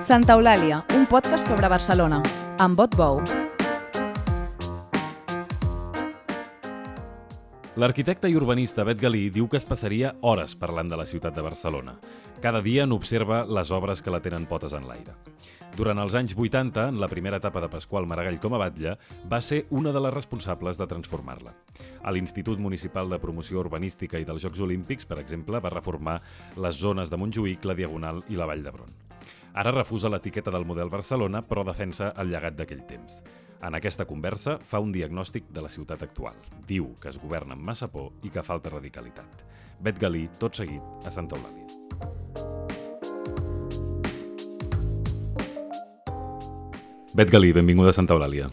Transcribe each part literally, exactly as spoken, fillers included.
Santa Eulàlia, un podcast sobre Barcelona, amb Bot Bou. L'arquitecte i urbanista Bet Galí diu que es passaria hores parlant de la ciutat de Barcelona. Cada dia n'observa les obres que la tenen potes en l'aire. Durant els anys vuitanta, en la primera etapa de Pasqual Maragall com a batlle, va ser una de les responsables de transformar-la. A l'Institut Municipal de Promoció Urbanística i dels Jocs Olímpics, per exemple, va reformar les zones de Montjuïc, la Diagonal i la Vall d'Hebron. Ara refusa l'etiqueta del model Barcelona, però defensa el llegat d'aquell temps. En aquesta conversa fa un diagnòstic de la ciutat actual. Diu que es governa amb massa por i que falta radicalitat. Bet Galí, tot seguit, a Santa Eulàlia. Bet Galí, benvinguda a Santa Eulàlia.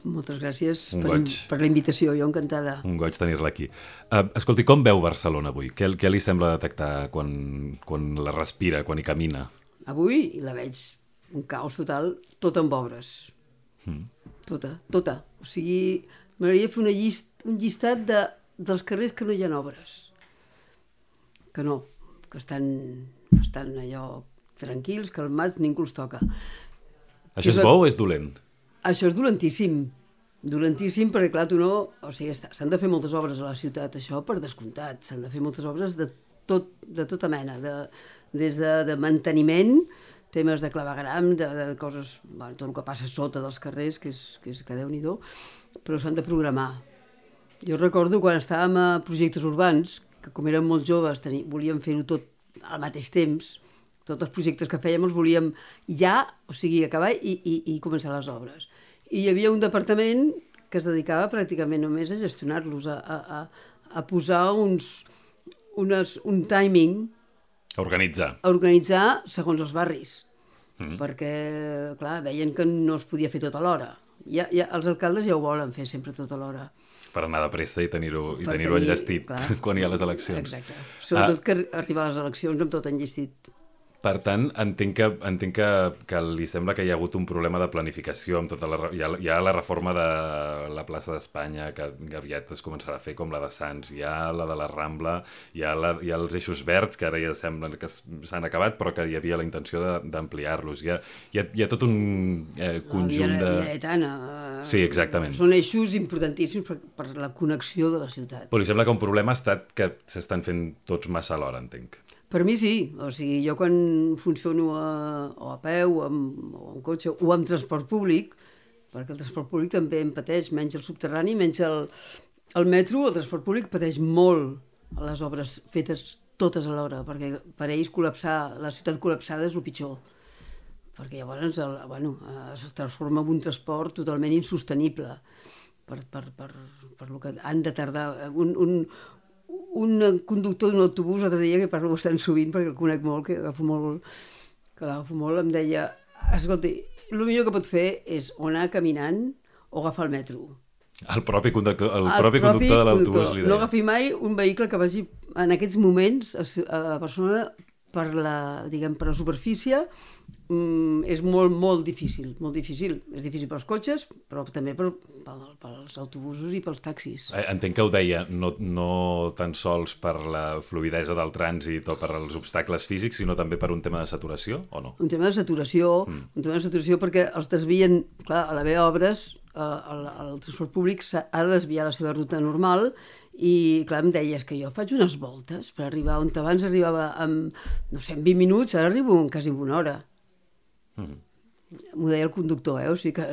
Moltes gràcies Un per, goig. per la invitació, jo encantada. Un goig tenir-la aquí. Uh, escolti, com veu Barcelona avui? Què, què li sembla detectar quan, quan la respira, quan hi camina? Avui la veig un caos total, tot amb obres. Mm. Tota, tota. O sigui, m'agradaria fer una llist, un llistat de, dels carrers que no hi ha obres. Que no, que estan, estan allò tranquils, calmats, ningú els toca. Això és bo o és dolent? Això és dolentíssim. Dolentíssim perquè, clar, tu no... O sigui, s'han de fer moltes obres a la ciutat, això per descomptat. S'han de fer moltes obres de, tot, de tota mena, de, des de, de manteniment, temes de clavegram, de, de coses... Bueno, tot el que passa sota dels carrers, que és que, és, que Déu-n'hi-do, però s'han de programar. Jo recordo quan estàvem a projectes urbans, que com érem molt joves teni, volíem fer-ho tot al mateix temps, tots els projectes que fèiem els volíem ja, o sigui, acabar i, i, i començar les obres. I hi havia un departament que es dedicava pràcticament només a gestionar-los, a, a, a posar uns, unes, un timing, A organitzar. a organitzar segons els barris, Mm. perquè, clar, veien que no es podia fer tot alhora. Ja, ja, els alcaldes ja ho volen fer sempre tot alhora. Per anar de pressa i tenir-ho Per tenir tenir, enllestit clar. quan hi ha les eleccions. Exacte. Sobretot ah. que arribar a les eleccions amb tot enllestit. Per tant, entenc que, entenc que, que li sembla que hi ha hagut un problema de planificació amb tota la, hi ha, hi ha la reforma de la plaça d'Espanya que, que aviat es començarà a fer com la de Sants, hi ha la de la Rambla, hi ha, la, hi ha els eixos verds que ara ja semblen que s'han acabat però que hi havia la intenció d'ampliar-los. Hi, ha, hi, ha, hi ha tot un eh, conjunt de... La Lletana. Sí, exactament. Són eixos importantíssims per, per la connexió de la ciutat. Però li sembla que un problema ha estat que s'estan fent tots massa alhora, entenc. Per mi sí, o sigui, jo quan funciono a, o a peu, o amb, o amb cotxe, o amb transport públic, perquè el transport públic també em pateix, menys el subterrani, menys el, el metro, el transport públic pateix molt a les obres fetes totes alhora, perquè per ells col·lapsar, la ciutat col·lapsada és el pitjor, perquè llavors el, bueno, es transforma en un transport totalment insostenible, per, per, per, per lo que han de tardar. Un, un, un conductor d'un autobús l'altre dia, que parlo bastant sovint perquè el conec molt, que agafo molt, que l'agafo molt, em deia, escolti, el millor que pot fer és o anar caminant o agafar el metro. El propi conductor, el el propi conductor de l'autobús li deia. No agafi mai un vehicle que vagi en aquests moments a, a Barcelona per la, diguem, per la superfície. Mm, és molt, molt difícil, molt difícil. És difícil pels cotxes, però també per, per, pels autobusos i pels taxis. Entenc que ho deia no, no tan sols per la fluïdesa del trànsit o per als obstacles físics, sinó també per un tema de saturació, o no? Un tema de saturació, mm. un tema de saturació perquè els desvien, clar, a l'haver obres, eh, el, el transport públic ha de desviar la seva ruta normal i, clar, em deies que jo faig unes voltes per arribar on abans arribava amb, no sé, en vint minuts, ara arribo en quasi en una hora. Mm. M'ho deia el conductor, eh? O sigui que,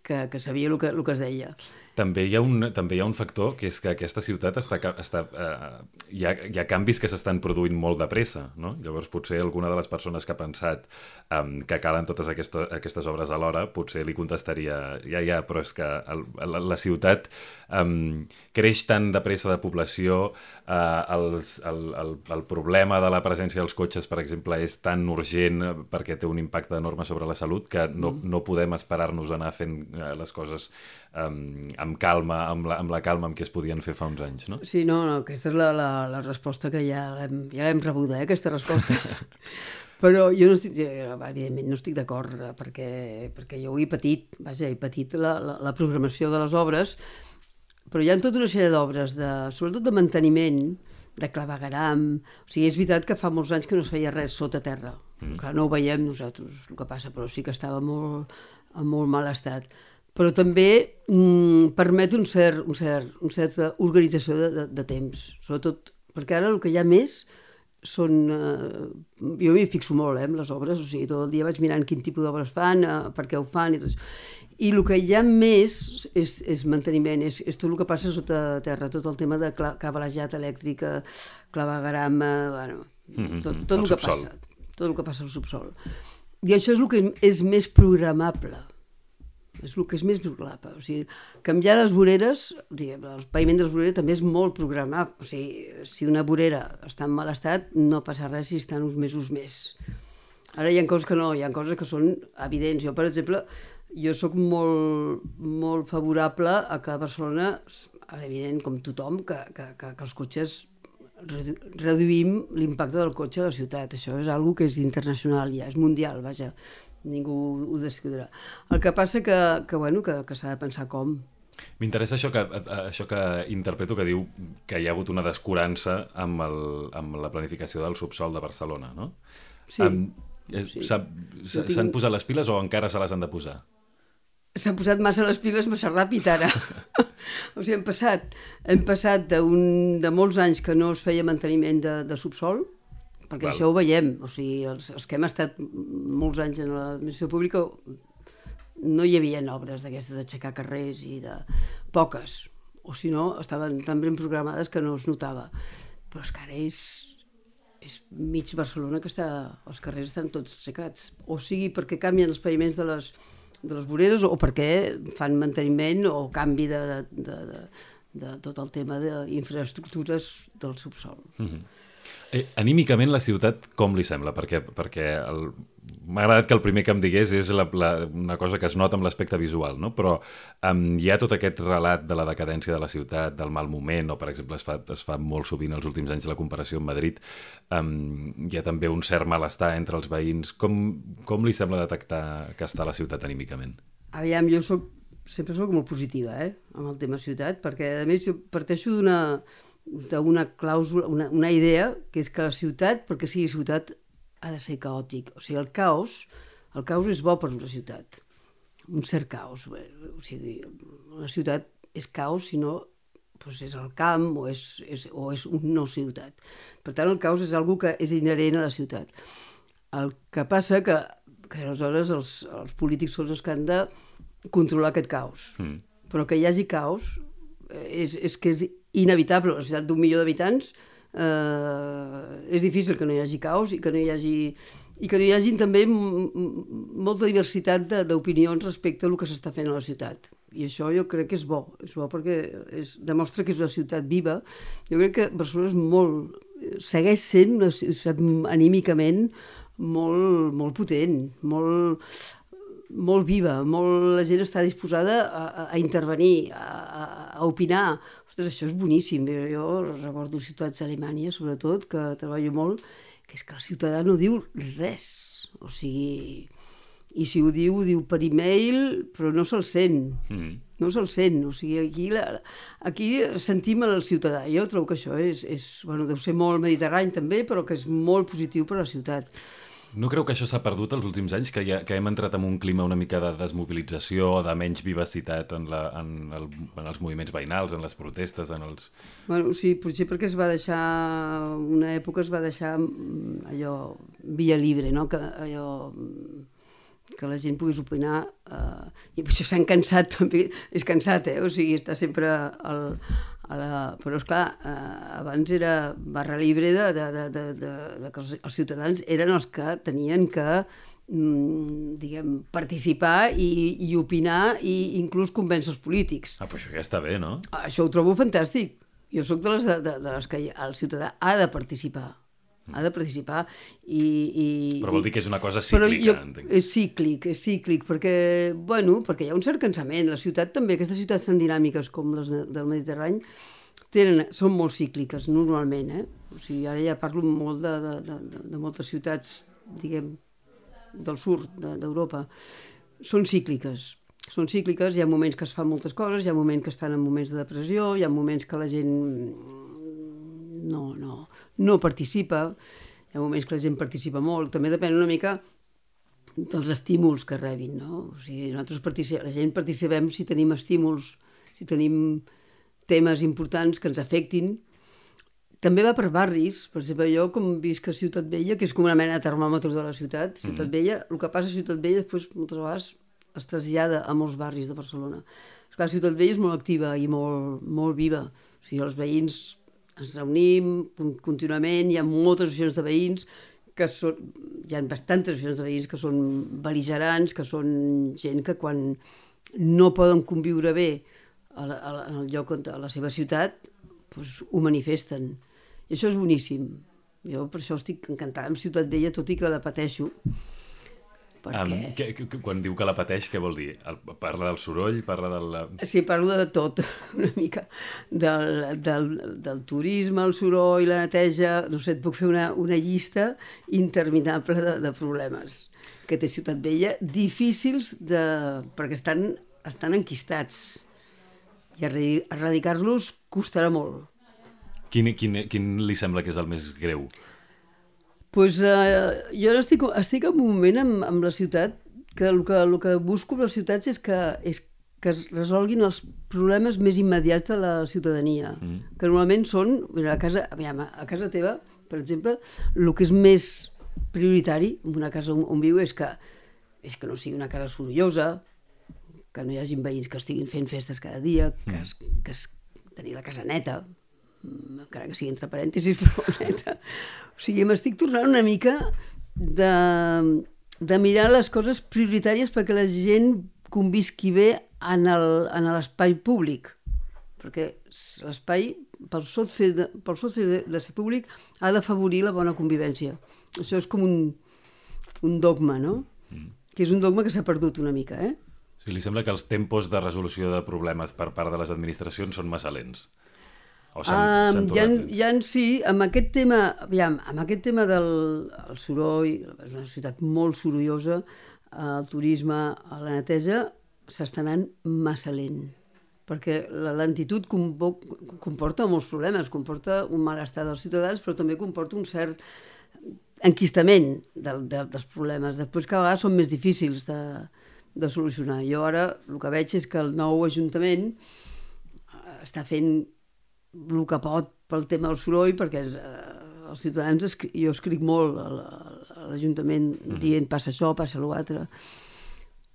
que, que sabia el que, el que es deia. També hi ha un, també hi ha un factor, que és que aquesta ciutat està... està eh, hi, ha, hi ha canvis que s'estan produint molt de pressa, no? Llavors, potser alguna de les persones que ha pensat um, que calen totes aquestes, aquestes obres alhora, potser li contestaria, ja, ja, però és que el, la, la ciutat um, creix tan de pressa de població, uh, els, el, el, el problema de la presència dels cotxes, per exemple, és tan urgent perquè té un impacte enorme sobre la salut que no, no podem esperar-nos a anar fent uh, les coses um, amb calma, amb la, amb la calma amb què es podien fer fa uns anys, no? Sí, no, no, aquesta és la, la, la resposta que ja l'hem, ja l'hem rebuda, eh, aquesta resposta. Però jo no estic, evidentment no estic d'acord perquè, perquè jo ho he patit, vaja, he patit la, la, la programació de les obres, però hi ha tota una sèrie d'obres, de, sobretot de manteniment, de clavegueram. O sigui, és veritat que fa molts anys que no es feia res sota terra. Mm. Clar, no ho veiem nosaltres, el que passa, però sí que estava molt, en molt mal estat. Però també mm, permet un cert, un cert, un certa organització de, de, de temps, sobretot perquè ara el que hi ha més són... Eh, jo m'hi fixo molt, eh, amb les obres, o sigui, tot el dia vaig mirant quin tipus d'obres fan, eh, per què ho fan i tot això. I el que hi ha més és, és manteniment, és, és tot el que passa sota terra, tot el tema de cablejat elèctric, clavegueram, bueno, tot, tot el, el que passa, tot el que passa al subsol. I això és el que és més programable, és el que és més programable. O sigui, canviar les voreres, diguem, el paviment de les voreres també és molt programable. O sigui, si una vorera està en mal estat, no passa res si estan uns mesos més. Ara hi ha coses que no, hi ha coses que són evidents. Jo, per exemple, jo sóc molt, molt favorable a que a Barcelona, evident, com tothom, que, que, que, que els cotxes redu reduïm l'impacte del cotxe a la ciutat. Això és una que és internacional ja, és mundial, vaja, ningú ho discutirà. El que passa que, que, bueno, que, que s'ha de pensar com. M'interessa això que, això que interpreto que diu que hi ha hagut una descurança amb, el, amb la planificació del subsol de Barcelona, no? Sí. Um, S'han sí. tinc... posat les piles o encara se les han de posar? S'han posat massa les piles massa ràpid ara. O sigui, hem passat, hem passat de, un, de molts anys que no es feia manteniment de, de subsol, perquè Val. Això ho veiem. O sigui, els, els que hem estat molts anys en l'administració pública no hi havia obres d'aquestes d'aixecar carrers i de poques. O si no, estaven tan ben programades que no es notava. Però és que ara és, és mig Barcelona que està, els carrers estan tots aixecats. O sigui, perquè canvien els paviments de les de les voreres o perquè fan manteniment o canvi de, de, de, de, de tot el tema d'infraestructures del subsol. Mm-hmm. eh, anímicament la ciutat com li sembla? Perquè, perquè el... m'ha agradat que el primer que em digués és la, la, una cosa que es nota amb l'aspecte visual, no? Però um, hi ha tot aquest relat de la decadència de la ciutat, del mal moment, o per exemple es fa, es fa molt sovint els últims anys la comparació amb Madrid, um, hi ha també un cert malestar entre els veïns. Com, com li sembla detectar que està la ciutat anímicament? Aviam, jo soc, sempre soc molt positiva, eh, amb el tema ciutat, perquè a més jo parteixo d'una d'una clàusula, una, una idea, que és que la ciutat, perquè sigui ciutat, ha de ser caòtic. O sigui, el caos, el caos és bo per una ciutat. Un cert caos. O sigui, una ciutat és caos, si no doncs és el camp o és, és, o és una no ciutat. Per tant, el caos és una que és inherent a la ciutat. El que passa que, que aleshores els, els polítics són els que han de controlar aquest caos. Mm. Però que hi hagi caos és, és que és inevitable. La ciutat d'un milió d'habitants eh, és difícil que no hi hagi caos i que no hi hagi, i que no hi hagi també molta diversitat d'opinions respecte a el que s'està fent a la ciutat. I això jo crec que és bo. És bo perquè és, demostra que és una ciutat viva. Jo crec que Barcelona és molt, segueix sent una ciutat anímicament molt, molt potent, molt... molt viva, molt, la gent està disposada a, a intervenir, a, a, a opinar. Ostres, això és boníssim. Jo recordo ciutats a Alemanya, sobretot, que treballo molt, que és que el ciutadà no diu res. O sigui, i si ho diu, ho diu per e-mail, però no se'l sent. Mm. No se'l sent. O sigui, aquí, la, aquí sentim el ciutadà. Jo trobo que això és, és, bueno, deu ser molt mediterrani també, però que és molt positiu per a la ciutat. No creu que això s'ha perdut els últims anys, que, ha, que hem entrat en un clima una mica de desmobilització, de menys vivacitat en, la, en, el, en els moviments veïnals, en les protestes, en els... Bueno, sí, potser perquè es va deixar, una època es va deixar allò, via libre, no? Que allò, que la gent pogués opinar, eh, i per això s'han cansat també, és cansat, eh? O sigui, està sempre al... La... però esclar, eh, abans era barra libre de, de, de, de, de, de que els, els ciutadans eren els que tenien que mm, diguem, participar i, i opinar i inclús convèncer els polítics. Ah, però això ja està bé, no? Això ho trobo fantàstic. Jo sóc de les, de, de, de les que el ciutadà ha de participar. Ha de participar i... i però vol dir que és una cosa cíclica, jo, entenc. És cíclic, és cíclic, perquè, bueno, perquè hi ha un cert cansament. La ciutat també, aquestes ciutats tan dinàmiques com les del Mediterrani, tenen, són molt cícliques, normalment, eh? O sigui, ara ja parlo molt de, de, de, de moltes ciutats, diguem, del sud d'Europa. Són cícliques. Són cícliques, hi ha moments que es fan moltes coses, hi ha moments que estan en moments de depressió, hi ha moments que la gent no, no, no participa. Hi ha moments que la gent participa molt. També depèn una mica dels estímuls que rebin, no? O sigui, nosaltres participem, la gent participem si tenim estímuls, si tenim temes importants que ens afectin. També va per barris. Per exemple, jo com visc a Ciutat Vella, que és com una mena de termòmetre de la ciutat, Ciutat mm. Vella, el que passa a Ciutat Vella després moltes vegades es trasllada a molts barris de Barcelona. Esclar, Ciutat Vella és molt activa i molt, molt viva. O sigui, els veïns ens reunim contínuament, hi ha moltes associacions de veïns, que són, hi ha bastantes associacions de veïns que són bel·ligerants, que són gent que quan no poden conviure bé a la, a la, en el lloc, a la seva ciutat, doncs ho manifesten. I això és boníssim. Jo per això estic encantada amb Ciutat Vella, tot i que la pateixo. Perquè... Um, que, que, quan diu que la pateix, què vol dir? El, parla del soroll? Parla del... Sí, parlo de tot, una mica. Del, del, del turisme, el soroll, la neteja... No sé, et puc fer una, una llista interminable de, de problemes que té Ciutat Vella, difícils de... perquè estan, estan enquistats. I erradicar-los costarà molt. Quin, quin, quin li sembla que és el més greu? Pues, uh, jo estic, estic en un moment amb, amb la ciutat que el, que el que busco amb les ciutats és que, és que es resolguin els problemes més immediats de la ciutadania, mm. que normalment són, a casa, aviam, a casa teva, per exemple, el que és més prioritari en una casa on, on viu és que, és que no sigui una casa sorollosa, que no hi hagi veïns que estiguin fent festes cada dia, que, es, que es, tenir la casa neta, encara que sigui entre parèntesis, però neta. O sigui, m'estic tornant una mica de, de mirar les coses prioritàries perquè la gent convisqui bé en l'espai públic. Perquè l'espai, pel sol fet de, pel sol fet de, de ser públic, ha d'afavorir la bona convivència. Això és com un, un dogma, no? Mm. Que és un dogma que s'ha perdut una mica, eh? Sí, li sembla que els tempos de resolució de problemes per part de les administracions són massa lents? O s'han um, ja, ja en sí, amb aquest tema, aviam, amb aquest tema del el soroll, és una ciutat molt sorollosa, el turisme, la neteja, s'està anant massa lent, perquè la lentitud comporta molts problemes, comporta un malestar dels ciutadans, però també comporta un cert enquistament de, de, dels problemes. Després, cada vegada són més difícils de, de solucionar. Jo ara el que veig és que el nou Ajuntament està fent el que pot pel tema del soroll, perquè és, eh, els ciutadans, escri... jo escric molt a l'Ajuntament mm. dient passa això, passa l'altre.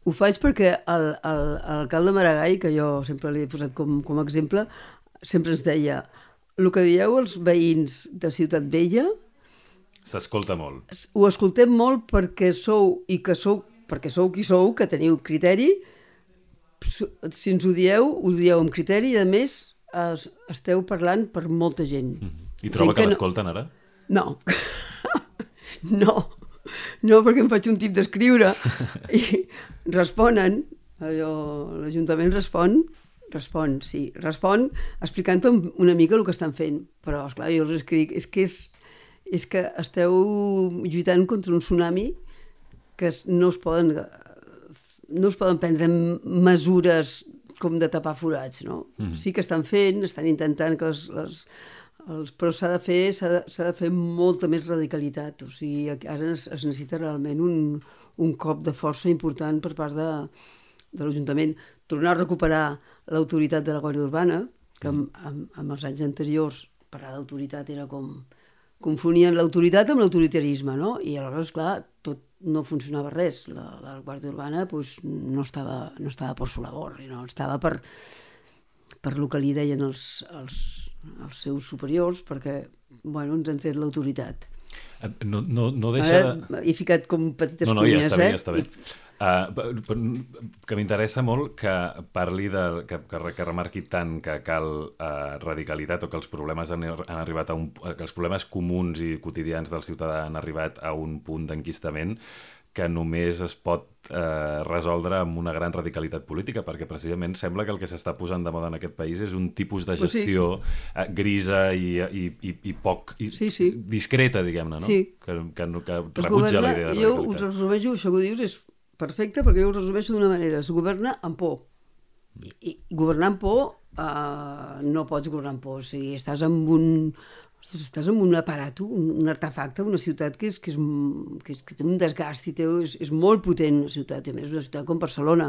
Ho faig perquè l'alcalde Maragall, que jo sempre l'he posat com, com a exemple, sempre ens deia, el que dieu els veïns de Ciutat Vella s'escolta molt. Ho escoltem molt perquè sou, i que sou, perquè sou qui sou, que teniu criteri, si ens ho dieu, ho dieu amb criteri i a més es, esteu parlant per molta gent. Mm-hmm. I troba que, que l'escolten no... ara? No. no. No, perquè em faig un tip d'escriure i responen, allò, l'Ajuntament respon, respon, sí, respon explicant una mica el que estan fent, però esclar, jo els escric, és que, és, és que esteu lluitant contra un tsunami que no es poden, no es poden prendre mesures com de tapar forats, no? Mm-hmm. Sí que estan fent, estan intentant que les... les Els, però s'ha de fer s'ha de, s'ha de fer molta més radicalitat, o sigui, ara es, es necessita realment un, un cop de força important per part de, de l'Ajuntament. Tornar a recuperar l'autoritat de la Guàrdia Urbana, que amb, amb, amb els anys anteriors parlar d'autoritat era com... confonien l'autoritat amb l'autoritarisme, no? I aleshores, clar, tot no funcionava res. La, la Guàrdia Urbana pues, no, estava, no estava por su labor, no? Estava per, per el que li deien els... els els seus superiors, perquè, bueno, ens han tret l'autoritat. No, no, no deixa... Ara he ficat com petites no, no, cunyes, ja està bé, eh? ja està bé. Uh, que m'interessa molt que parli de... que, que, que remarqui tant que cal uh, radicalitat o que els problemes han, han arribat a un... que els problemes comuns i quotidians del ciutadà han arribat a un punt d'enquistament que només es pot eh, resoldre amb una gran radicalitat política, perquè precisament sembla que el que s'està posant de moda en aquest país és un tipus de gestió sí. eh, grisa i, i, i, i poc i sí, sí. discreta, diguem-ne, no? Sí. Que, que, que rebutja la idea de jo radicalitat. Jo us resumeixo, això que dius és perfecte, perquè jo ho resumeixo d'una manera, es governa amb por. I, i governar amb por uh, no pots governar amb por. O sigui, estàs amb un... Ostres, estàs amb un aparato, un, un artefacte, una ciutat que, és, que, és, que, és, que té un desgast i té, és, és molt potent una ciutat, i a més una ciutat com Barcelona,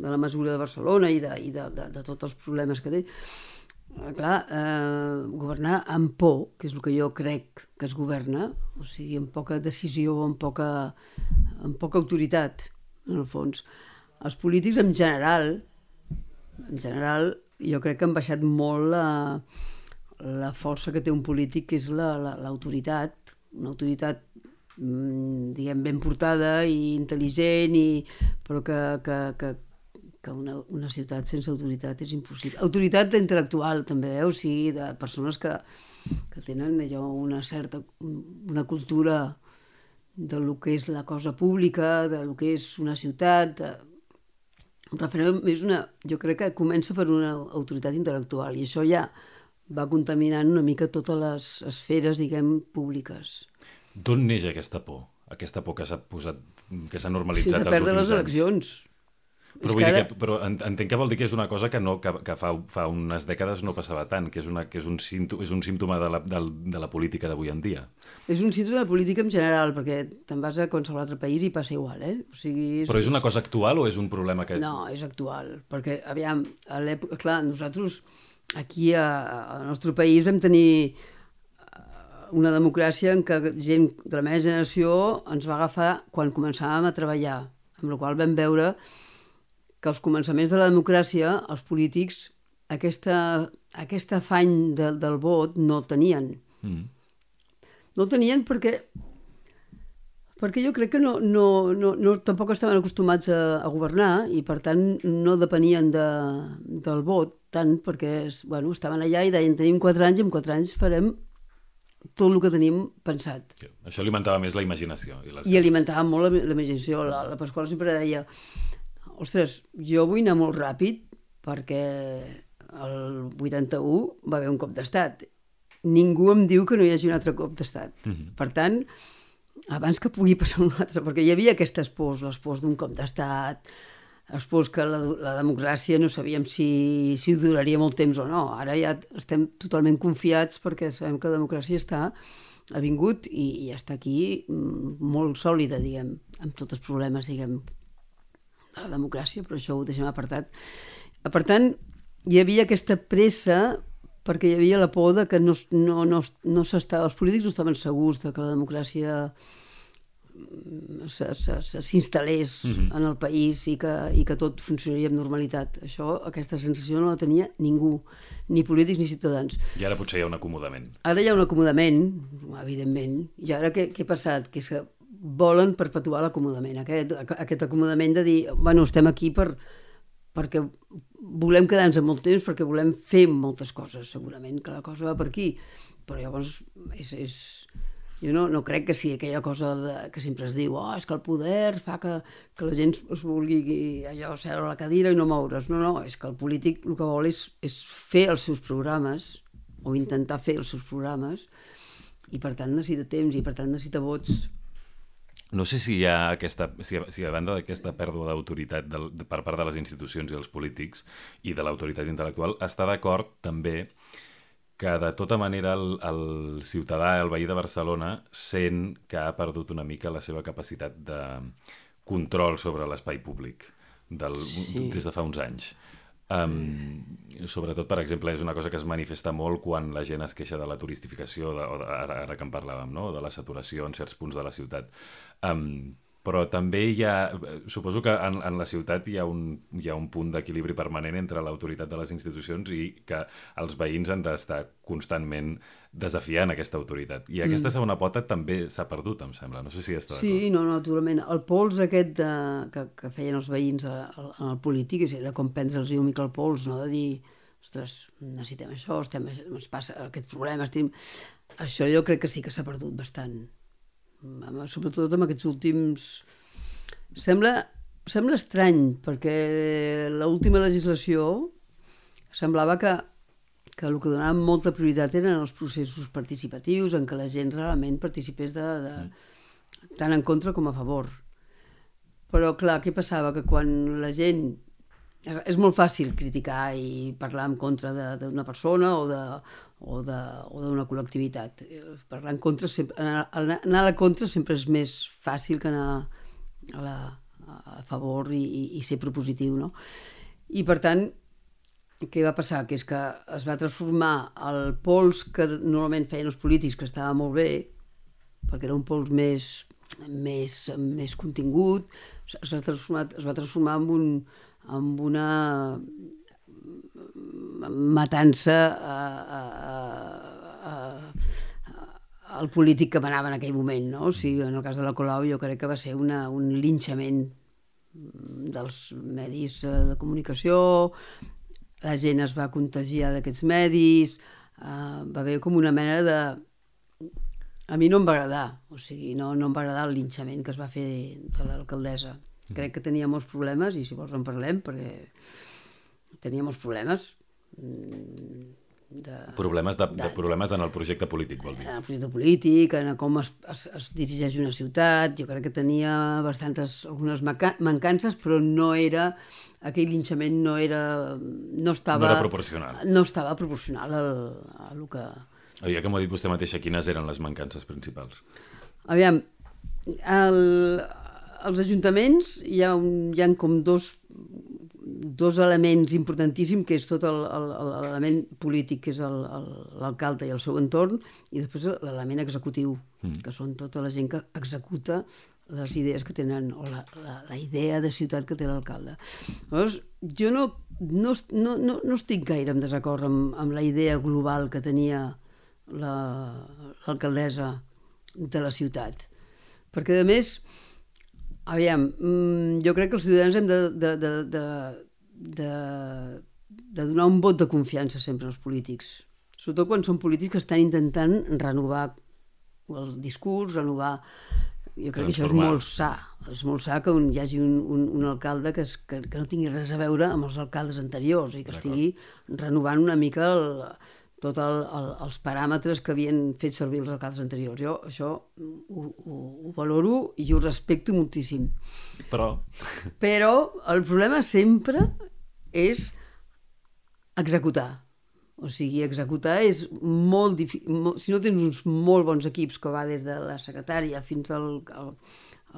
de la mesura de Barcelona i de, i de, de, de tots els problemes que té. Eh, clar, eh, governar amb por, que és el que jo crec que es governa, o sigui, amb poca decisió, amb poca, amb poca autoritat, en el fons. Els polítics en general, en general, jo crec que han baixat molt la... la força que té un polític, que és l'autoritat, la, la, una autoritat, diguem, ben portada i intel·ligent, i, però que, que, que, que una, una ciutat sense autoritat és impossible. Autoritat intel·lectual, també, eh? O sigui, de persones que, que tenen allò, una certa una cultura de lo que és la cosa pública, de lo que és una ciutat... De... El referèndum és una... Jo crec que comença per una autoritat intel·lectual, i això ja va contaminant una mica totes les esferes, diguem, públiques. D'on neix aquesta por? Aquesta por que s'ha posat, que s'ha normalitzat sí, els últims anys? Sí, de perdre les eleccions. Però, vull ara... dir que, però entenc que vol dir que és una cosa que, no, que, que fa, fa unes dècades no passava tant, que és, una, que és, un, símptoma, és un símptoma de la, de, de la política d'avui en dia. És un símptoma de la política en general, perquè te'n vas a qualsevol altre país i passa igual, eh? O sigui, és... Però és una cosa actual o és un problema que... No, és actual, perquè, aviam, a l'època... Clar, nosaltres... Aquí, al nostre país, vam tenir una democràcia en què gent de la meva generació ens va agafar quan començàvem a treballar, amb la qual vam veure que als començaments de la democràcia els polítics aquesta, aquest afany de, del vot no el tenien. Mm. No el tenien perquè, perquè jo crec que no, no, no, no, tampoc estaven acostumats a, a governar i, per tant, no depenien de, del vot tant, perquè bueno, estaven allà i deien tenim quatre anys i en quatre anys farem tot el que tenim pensat. Això alimentava més la imaginació. I, les... I alimentava molt la, la imaginació. La, la Pasqual sempre deia, ostres, jo vull anar molt ràpid perquè el vuitanta-u va haver un cop d'estat. Ningú em diu que no hi hagi un altre cop d'estat. Mm-hmm. Per tant, abans que pugui passar un altre, perquè hi havia aquestes pors, les pors d'un cop d'estat, les pors que la, la democràcia no sabíem si, si duraria molt temps o no. Ara ja estem totalment confiats perquè sabem que la democràcia està, ha vingut i, i està aquí molt sòlida, diguem, amb tots els problemes, diguem, de la democràcia, però això ho deixem apartat. Per tant, hi havia aquesta pressa perquè hi havia la por de que no, no, no, no s'estava, els polítics no estaven segurs de que la democràcia s'instal·lés mm-hmm. en el país i que, i que tot funcionaria amb normalitat. Això, aquesta sensació no la tenia ningú, ni polítics ni ciutadans. I ara potser hi ha un acomodament. Ara hi ha un acomodament, evidentment. I ara què, què ha passat? Que és que volen perpetuar l'acomodament. Aquest, aquest acomodament de dir, bueno, estem aquí per, perquè volem quedar-nos molt temps, perquè volem fer moltes coses, segurament que la cosa va per aquí. Però llavors és... és... Jo no, no crec que sigui aquella cosa de, que sempre es diu oh, és que el poder fa que, que la gent es vulgui allò seure a la cadira i no moure's. No, no, és que el polític el que vol és, és fer els seus programes o intentar fer els seus programes i per tant necessita temps i per tant necessita vots. No sé si hi ha aquesta, si, si a banda d'aquesta pèrdua d'autoritat de, de, per part de les institucions i els polítics i de l'autoritat intel·lectual, està d'acord també que de tota manera el, el ciutadà, el veí de Barcelona, sent que ha perdut una mica la seva capacitat de control sobre l'espai públic del, sí. des de fa uns anys. Um, sobretot, per exemple, és una cosa que es manifesta molt quan la gent es queixa de la turistificació, de, o de, ara, ara que en parlàvem, no? De la saturació en certs punts de la ciutat. Um, però també hi ha... Suposo que en, en la ciutat hi ha un, hi ha un punt d'equilibri permanent entre l'autoritat de les institucions i que els veïns han d'estar constantment desafiant aquesta autoritat. I aquesta mm. segona pota també s'ha perdut, em sembla. No sé si està d'acord. Sí, no, naturalment. El pols aquest de, que, que feien els veïns en el polític era com prendre'ls una mica el pols, no? De dir, ostres, necessitem això, estem, ens passa aquest problema, estem... Això jo crec que sí que s'ha perdut bastant. Sobretot amb aquests últims... Sembla, sembla estrany, perquè l'última legislació semblava que, que el que donava molta prioritat eren els processos participatius, en què la gent realment participés de, de, tant en contra com a favor. Però, clar, què passava? Que quan la gent és molt fàcil criticar i parlar en contra d'una persona o de o d'una col·lectivitat. Parlar en contra, anar, anar a la contra sempre és més fàcil que anar a, la, a favor i, i, i ser propositiu, no? I per tant, què va passar? Que és que es va transformar el pols que normalment feien els polítics, que estava molt bé, perquè era un pols més, més, més contingut, es va transformar, es va transformar en, un, en una matança a, a, a, a, al polític que manava en aquell moment, no? O sigui, en el cas de la Colau jo crec que va ser una, un linxament dels medis de comunicació, la gent es va contagiar d'aquests medis, uh, va haver com una mena de... A mi no em va agradar, o sigui, no, no em va agradar el linxament que es va fer de l'alcaldessa. Crec que tenia molts problemes, i si vols en parlem, perquè tenia molts problemes. De, problemes, de, de, de problemes en el projecte polític, vol dir? En el projecte polític, en com es, es, es dirigeix una ciutat. Jo crec que tenia bastantes, algunes mancances, però no era... Aquell linxament no era... No estava... No era proporcional. No estava proporcional al, a el que... Ja que m'ho ha dit vostè mateixa, quines eren les mancances principals? Aviam, el, als ajuntaments hi ha, un, hi ha com dos, dos elements importantíssims, que és tot l'element polític, que és l'alcalde i el seu entorn, i després l'element executiu, mm. que són tota la gent que executa les idees que tenen, o la, la, la idea de ciutat que té l'alcalde. Llavors, jo no, no, no, no, no estic gaire en desacord amb, amb la idea global que tenia l'alcaldessa de la ciutat. Perquè, a més, aviam, jo crec que els ciutadans hem de, de, de, de, de, de donar un vot de confiança sempre als polítics. Sobretot quan són polítics que estan intentant renovar el discurs, renovar... Jo crec que això és molt sa. És molt sa que un, hi hagi un, un, un alcalde que, es, que, que no tingui res a veure amb els alcaldes anteriors i que estigui renovant una mica el, tots el, el, els paràmetres que havien fet servir els alcaldes anteriors. Jo això ho, ho, ho valoro i ho respecto moltíssim. Però... Però el problema sempre és executar. O sigui, executar és molt difícil. Si no tens uns molt bons equips, que va des de la secretària fins al, al,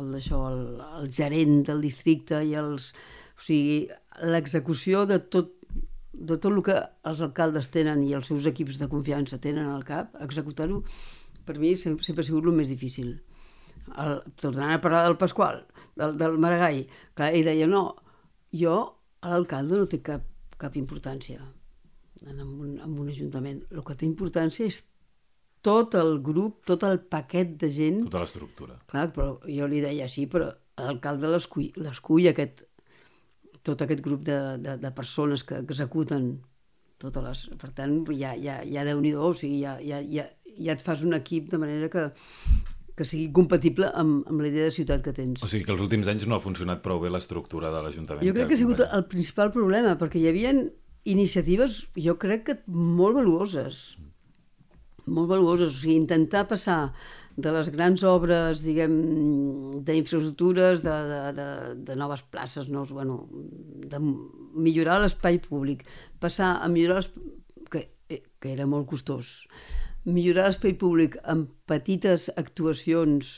al, això, al, al gerent del districte i els... O sigui, l'execució de tot, de tot el que els alcaldes tenen i els seus equips de confiança tenen al cap, executar-ho, per mi sempre, sempre ha sigut el més difícil. El, tornant a parlar del Pasqual, del, del Maragall, clar, ell deia, no, jo, l'alcalde no té cap, cap importància en un, en un ajuntament. El que té importància és tot el grup, tot el paquet de gent... Tota l'estructura. Clar, però jo li deia, sí, però l'alcalde l'escull aquest, tot aquest grup de, de, de persones que executen totes les... Per tant, ja, ja, ja Déu-n'hi-do, o sigui, ja, ja, ja, ja et fas un equip de manera que, que sigui compatible amb, amb la idea de ciutat que tens. O sigui que els últims anys no ha funcionat prou bé l'estructura de l'Ajuntament. Jo crec que, que ha sigut el principal problema, perquè hi havia iniciatives, jo crec que molt valuoses, molt valuoses, o sigui, intentar passar de les grans obres, diguem, d'infraestructures, de, de, de, de noves places, no? Bueno, de millorar l'espai públic, passar a millorar l'espai, que, que era molt costós, millorar l'espai públic amb petites actuacions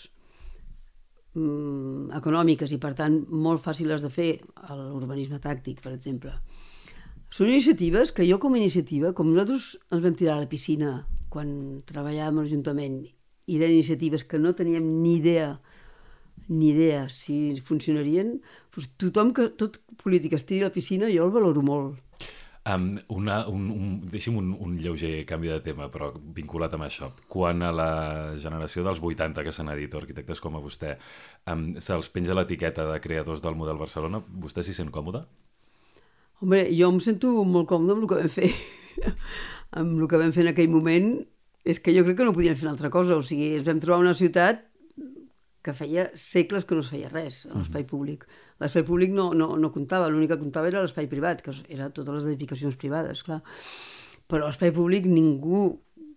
mm, econòmiques i, per tant, molt fàcils de fer, l'urbanisme tàctic, per exemple. Són iniciatives que jo, com a iniciativa, com nosaltres ens vam tirar a la piscina quan treballàvem a l'Ajuntament, i eren iniciatives que no teníem ni idea, ni idea si funcionarien, doncs tothom que, tot polític es tiri a la piscina, jo el valoro molt. Um, una, un, un, deixi'm un, un lleuger canvi de tema, però vinculat amb això. Quan a la generació dels vuitanta, que s'han dit, arquitectes com a vostè, um, se'ls penja l'etiqueta de creadors del model Barcelona, vostè s'hi sent còmode? Home, jo em sento molt còmode amb el que vam fer. Amb el que vam fer en aquell moment, és que jo crec que no podíem fer una altra cosa. O sigui, ens vam trobar una ciutat que feia segles que no es feia res a l'espai públic. L'espai públic no, no, no comptava, l'únic que comptava era l'espai privat, que eren totes les edificacions privades, clar. Però l'espai públic ningú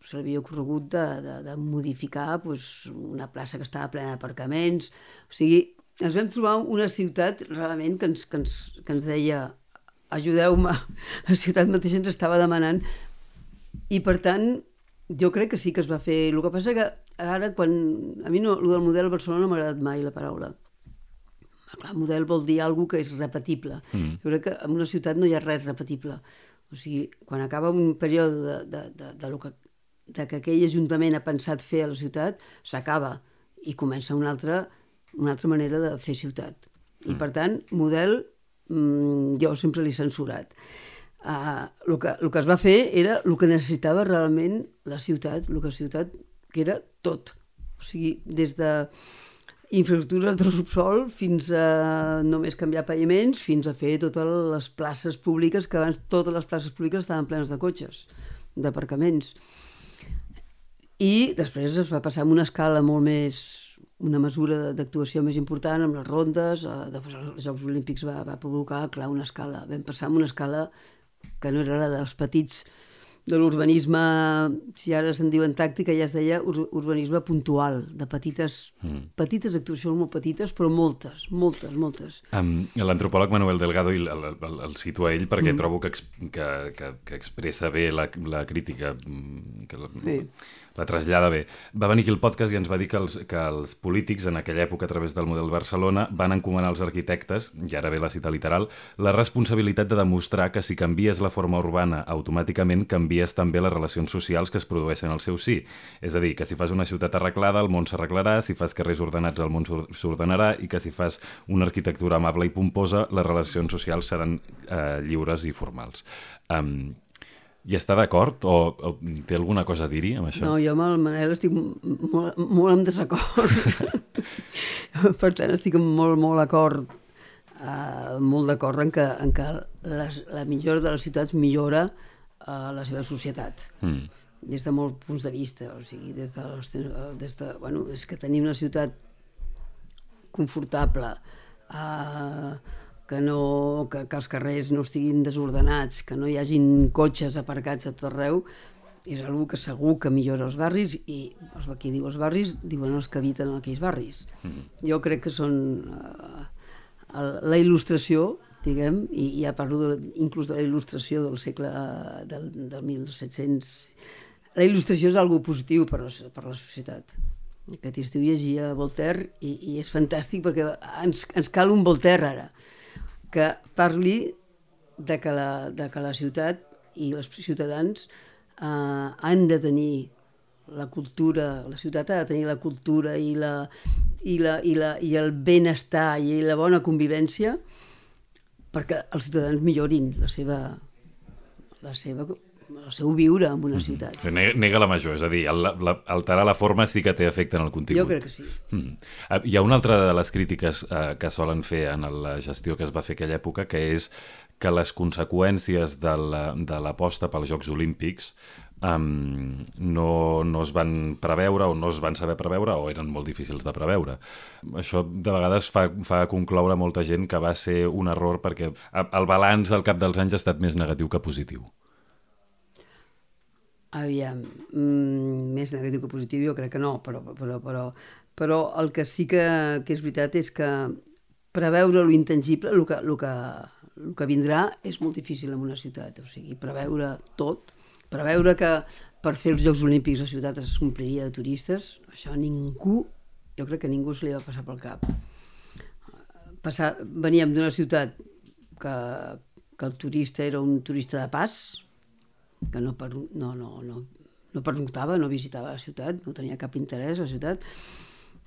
se l'havia ocorregut de, de, de modificar pues, una plaça que estava plena d'aparcaments. O sigui, ens vam trobar una ciutat realment que ens, que ens, que ens deia ajudeu-me, la ciutat mateixa ens estava demanant, i per tant jo crec que sí que es va fer. El que passa que ara, quan a mi no, el del model Barcelona no m'ha agradat mai la paraula. Clar, model vol dir alguna que és repetible. Mm. Jo crec que en una ciutat no hi ha res repetible. O sigui, quan acaba un període de, de, de, de, lo que, de que aquell ajuntament ha pensat fer a la ciutat, s'acaba i comença una altra, una altra manera de fer ciutat. Mm. I per tant, model, mmm, jo sempre l'he censurat. Uh, el, que, el que es va fer era el que necessitava realment la ciutat, el que la ciutat, que era tot. O sigui, des de infraestructures del subsol fins a només canviar paviments, fins a fer totes les places públiques, que abans totes les places públiques estaven plenes de cotxes, d'aparcaments. I després es va passar amb una escala molt més, una mesura d'actuació més important, amb les rondes, eh, després els Jocs Olímpics va, va provocar, clar, una escala. Vam passar amb una escala que no era la dels petits, de l'urbanisme, si ara se'n diuen tàctica, ja es deia ur urbanisme puntual, de petites, mm. petites actuacions molt petites, però moltes, moltes, moltes. Um, L'antropòleg Manuel Delgado, el, el, el, el situa ell perquè mm. trobo que, que, que, que expressa bé la, la crítica, que la, sí. la trasllada bé. Va venir aquí el podcast i ens va dir que els, que els polítics, en aquella època, a través del model Barcelona, van encomanar als arquitectes, i ara ve la cita literal, la responsabilitat de demostrar que si canvies la forma urbana automàticament, canvies també les relacions socials que es produeixen al seu sí. És a dir, que si fas una ciutat arreglada, el món s'arreglarà, si fas carrers ordenats, el món s'ordenarà, i que si fas una arquitectura amable i pomposa, les relacions socials seran eh, lliures i formals. Um, I està d'acord? O, o té alguna cosa a dir-hi amb això? No, jo amb el Manel estic molt, molt en desacord. Per tant, estic molt, molt d'acord, uh, molt d'acord en que, en que les, la millora de les ciutats millora a la seva societat, mm. des de molts punts de vista. O sigui, des de, des de, bueno, és que tenim una ciutat confortable, eh, que, no, que, que els carrers no estiguin desordenats, que no hi hagin cotxes aparcats a tot arreu, és una que segur que millora els barris, i els, qui diu els barris diuen els que habiten en aquells barris. Mm. Jo crec que són eh, la il·lustració, diguem, i ja parlo de, inclús de la il·lustració del segle del, del mil set-cents. La il·lustració és algo positiu per, per la societat. Aquest estiu llegia Voltaire i, i és fantàstic perquè ens, ens cal un Voltaire ara, que parli de que la, de que la ciutat i els ciutadans eh, han de tenir la cultura, la ciutat ha de tenir la cultura i, la, i, la, i, la, i el benestar i la bona convivència, perquè els ciutadans millorin la seva, la seva, el seu viure en una ciutat. Mm-hmm. Nega la major, és a dir, el, la, alterar la forma sí que té efecte en el contingut. Jo crec que sí. Mm. Hi ha una altra de les crítiques eh, que solen fer en la gestió que es va fer aquella època, que és que les conseqüències de l'aposta pels Jocs Olímpics Um, no, no es van preveure o no es van saber preveure o eren molt difícils de preveure. Això de vegades fa, fa concloure molta gent que va ser un error perquè el balanç al cap dels anys ha estat més negatiu que positiu. Aviam, mm, més negatiu que positiu jo crec que no, però, però, però, però el que sí que, que és veritat és que preveure lo intangible, el que, el que, el que vindrà, és molt difícil en una ciutat. O sigui, preveure tot, preveure que per fer els Jocs Olímpics la ciutat es ompliria de turistes, això ningú, jo crec que ningú se li va passar pel cap. Passar, veníem d'una ciutat que, que el turista era un turista de pas, que no, per, no, no, no, no pernoctava, no visitava la ciutat, no tenia cap interès a la ciutat,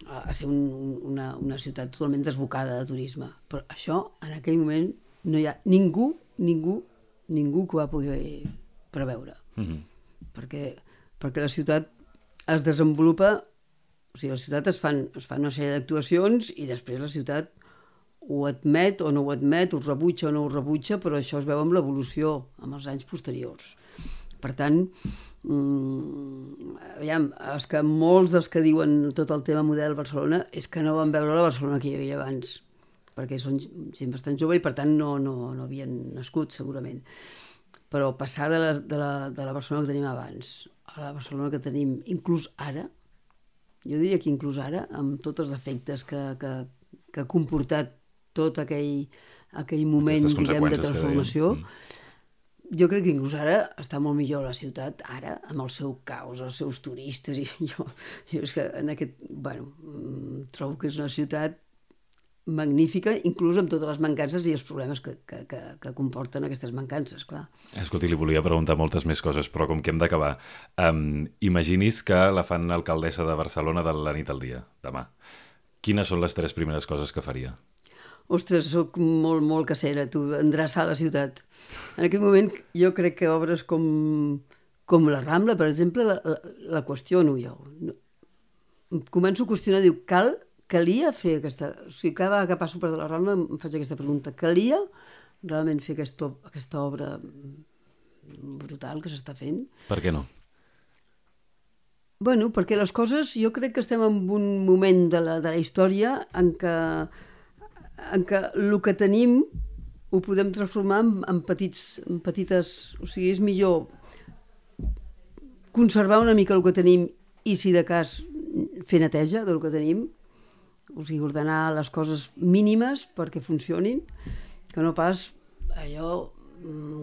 a, a ser un, una, una ciutat totalment desbocada de turisme. Però això, en aquell moment, no hi ha ningú, ningú, ningú que va poder preveure. Mm-hmm. perquè, perquè la ciutat es desenvolupa, o sigui, la ciutat es fan, es fan una sèrie d'actuacions i després la ciutat ho admet o no ho admet, ho rebutja o no ho rebutja, però això es veu amb l'evolució, amb els anys posteriors. Per tant, mmm, aviam, és que molts dels que diuen tot el tema model Barcelona és que no van veure la Barcelona que hi havia abans, perquè són gent bastant jove i per tant no, no, no havien nascut segurament. Però passar de la, de, la, de la Barcelona que tenim abans a la Barcelona que tenim inclús ara, jo diria que inclús ara, amb tots els defectes que, que, que ha comportat tot aquell, aquell moment, diguem, de transformació. Mm. Jo crec que inclús ara està molt millor la ciutat, ara, amb el seu caos, els seus turistes, i jo, jo és que en aquest, bueno, trobo que és una ciutat magnífica, inclús amb totes les mancances i els problemes que, que, que, que comporten aquestes mancances, clar. Escolti, li volia preguntar moltes més coses, però com que hem d'acabar, um, imagini's que la fan alcaldessa de Barcelona de la nit al dia, demà. Quines són les tres primeres coses que faria? Ostres, soc molt, molt casera, tu, endreçar la ciutat. En aquest moment jo crec que obres com, com la Rambla, per exemple, la, la, la qüestiono jo. Començo a qüestionar, diu, cal calia fer aquesta... O sigui, cada vegada que passo per la Rambla em faig aquesta pregunta. Calia realment fer aquesta, aquesta obra brutal que s'està fent? Per què no? Bueno, perquè les coses... Jo crec que estem en un moment de la, de la història en què, en què el que tenim ho podem transformar en, en, petits, en petites... O sigui, és millor conservar una mica el que tenim i, si de cas, fer neteja del que tenim, o sigui, ordenar les coses mínimes perquè funcionin, que no pas allò,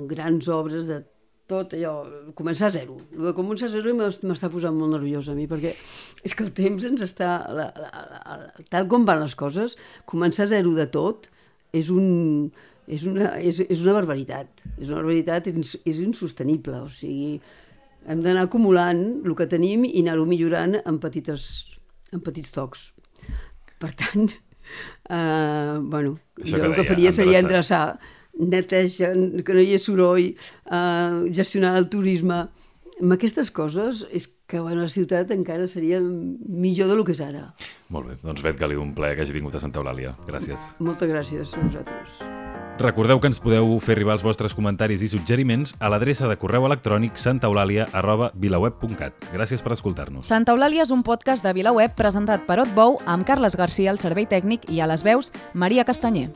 grans obres de tot allò, començar a zero. El de començar a zero m'està posant molt nerviosa a mi, perquè és que el temps ens està... La, la, la, tal com van les coses, començar a zero de tot és, un, és, una, és, és una barbaritat. És una barbaritat, és, és insostenible. O sigui, hem d'anar acumulant el que tenim i anar-ho millorant en, petites, en petits tocs. Per tant, eh, bueno, Això jo que el que deia, faria seria endreçar. endreçar, neteja, que no hi hagi soroll, eh, gestionar el turisme. Amb aquestes coses és que bueno, la ciutat encara seria millor del que és ara. Molt bé, doncs Bet Galí, un plaer que hagi vingut a Santa Eulàlia. Gràcies. Moltes gràcies a vosaltres. Recordeu que ens podeu fer arribar els vostres comentaris i suggeriments a l'adreça de correu electrònic santaeulàlia arroba vilaweb punt cat. Gràcies per escoltar-nos. Santa Eulàlia és un podcast de VilaWeb presentat per Otbou amb Carles Garcia al servei tècnic i a les veus Maria Castanyer.